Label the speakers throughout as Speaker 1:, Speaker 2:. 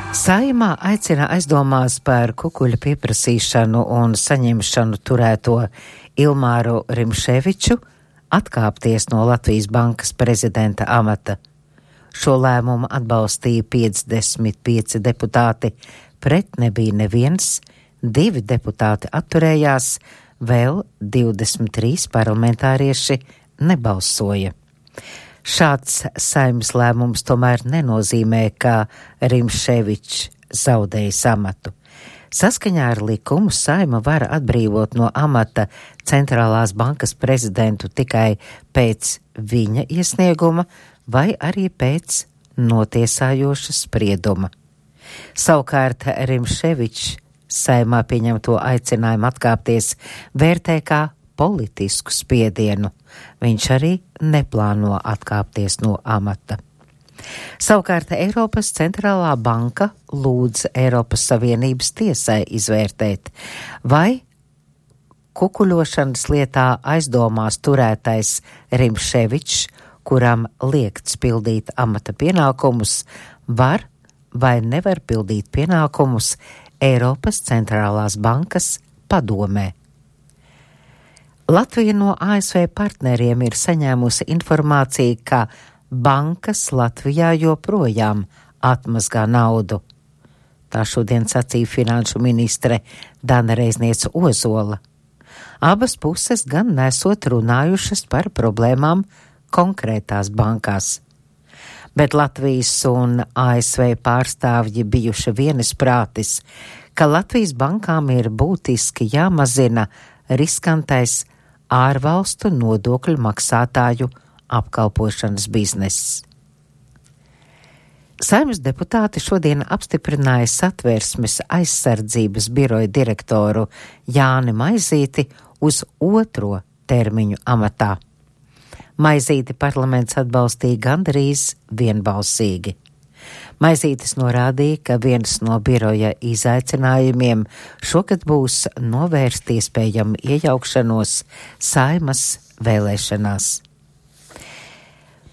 Speaker 1: Saeimā aicina aizdomās par kukuļa pieprasīšanu un saņemšanu turēto Ilmāru Rimševiču atkāpties no Latvijas bankas prezidenta amata. Šo lēmumu atbalstīja 55 deputāti, pret nebija neviens, 2 deputāti atturējās, vēl 23 parlamentārieši nebalsoja. Šāds Saeimas lēmums tomēr nenozīmē, ka Rimševičs zaudējis amatu. Saskaņā ar likumu Saeima var atbrīvot no amata centrālās bankas prezidentu tikai pēc viņa iesnieguma vai arī pēc notiesājoša sprieduma. Savukārt Rimševičs Saeimā pieņemto aicinājumu atkāpties vērtē kā politisku spiedienu. Viņš arī neplāno atkāpties no amata. Savukārt Eiropas centrālā banka lūdz Eiropas Savienības tiesai izvērtēt, vai kukuļošanas lietā aizdomās turētais Rimševičs, kuram liegts pildīt amata pienākumus, var vai nevar pildīt pienākumus Eiropas centrālās bankas padomē. Latvija no ASV partneriem ir saņēmusi informāciju, ka bankas Latvijā joprojām atmazgā naudu. Tā šodien sacīja finanšu ministre Dana Reizniece Ozola. Abas puses gan nesot runājušas par problēmām konkrētās bankās. Bet Latvijas un ASV pārstāvji bijuši vienisprātis, ka Latvijas bankām ir būtiski jāmazina riskantais ārvalstu nodokļu maksātāju apkalpošanas bizness. Saeimas deputāti šodien apstiprināja Satversmes aizsardzības biroja direktoru Jāni Maizīti uz 2. termiņu amatā. Maizīti parlaments atbalstīja gandrīz vienbalsīgi. Maizītis norādīja, ka viens no biroja izaicinājumiem šogad būs novērst iespējamu iejaukšanos Saeimas vēlēšanās.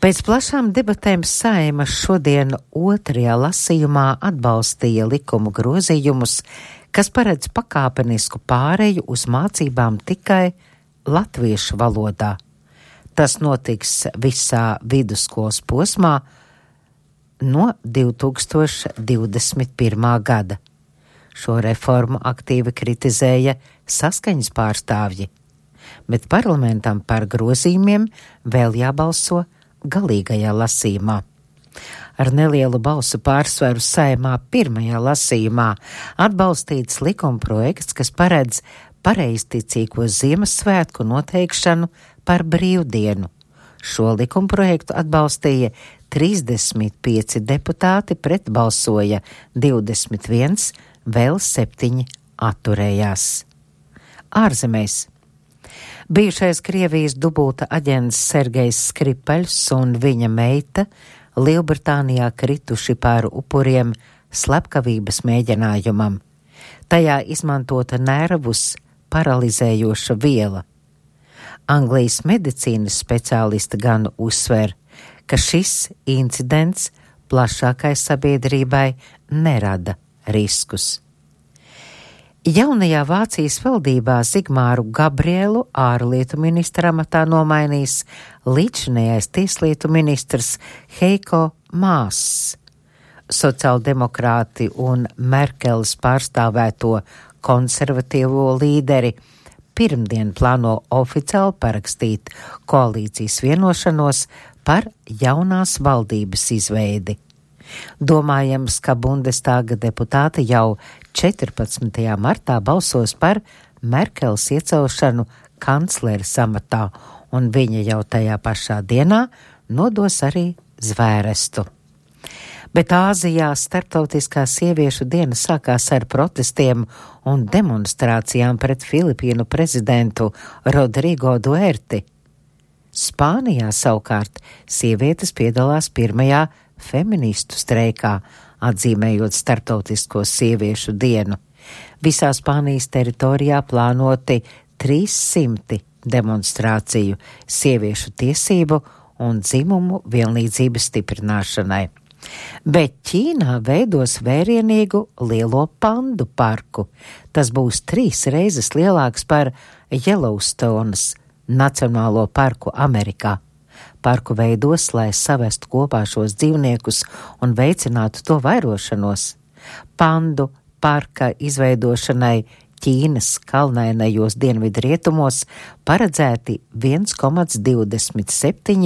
Speaker 1: Pēc plašām debatēm Saeima šodien 2. lasījumā atbalstīja likumu grozījumus, kas paredz pakāpenisku pāreju uz mācībām tikai latviešu valodā. Tas notiks visā vidusskolas posmā no 2021. gada. Šo reformu aktīvi kritizēja Saskaņas pārstāvji, bet parlamentam par grozījumiem vēl jābalso galīgajā lasījumā. Ar nelielu balsu pārsvaru Saeimā 1. lasījumā atbalstīts likumprojekts, kas paredz pareizticīgo Ziemassvētku noteikšanu par brīvdienu. Šo likumprojektu atbalstīja 35 deputāti, pret balsoja 21, vēl 7 atturējās. Ārzemēs. Bijušais Krievijas dubulta aģents Sergejs Skripaļs un viņa meita Lielbritānijā krituši par upuriem slepkavības mēģinājumam. Tajā izmantota nervus paralizējoša viela. Anglijas medicīnas speciālisti gan uzsver, ka šis incidents plašākai sabiedrībai nerada riskus. Jaunajā Vācijas valdībā Zigmāru Gabrielu ārlietu ministra amatā nomainīs līdzinājais tieslietu ministrs Heiko Māss. Sociāldemokrāti un Merkeles pārstāvēto konservatīvo līderi pirmdien plāno oficiāli parakstīt koalīcijas vienošanos par jaunās valdības izveidi. Domājams, ka Bundestāga deputāti jau 14. martā balsos par Merkeles iecelšanu kancleres amatā, un viņa jau tajā pašā dienā nodos arī zvērestu. Bet Āzijā starptautiskā sieviešu diena sākās ar protestiem un demonstrācijām pret Filipīnu prezidentu Rodrigo Duerti. Spānijā savukārt sievietes piedalās pirmajā feministu streikā, atzīmējot starptautisko sieviešu dienu. Visā Spānijas teritorijā plānoti 300 demonstrāciju sieviešu tiesību un dzimumu vienlīdzības stiprināšanai. Bet Ķīnā veidos vērienīgu lielo pandu parku. Tas būs 3 reizes lielāks par Yellowstones Nacionālo parku Amerikā. Parku veidos, lai savestu kopā šos dzīvniekus un veicinātu to vairošanos. Pandu parka izveidošanai Ķīnas kalnainajos dienvidu rietumos paredzēti 1,27